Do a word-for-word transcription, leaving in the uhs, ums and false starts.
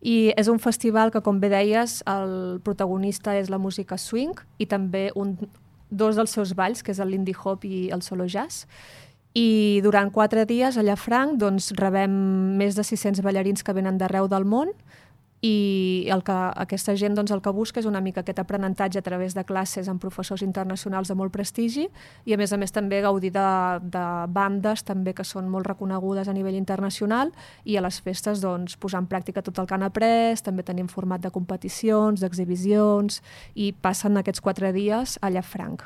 I és un festival que, com bé deies, el protagonista és la música swing i també un, dos dels seus balls, que és el Lindy Hop i el Solo Jazz. I durant quatre dies a Llafranc doncs, rebem més de sis-cents ballarins que venen d'arreu del món i el que, aquesta gent doncs, el que busca és una mica aquest aprenentatge a través de classes amb professors internacionals de molt prestigi i a més a més també gaudir de, de bandes també que són molt reconegudes a nivell internacional i a les festes doncs, posar en pràctica tot el que han après, també tenim format de competicions, d'exhibicions i passen aquests quatre dies a Llafranc.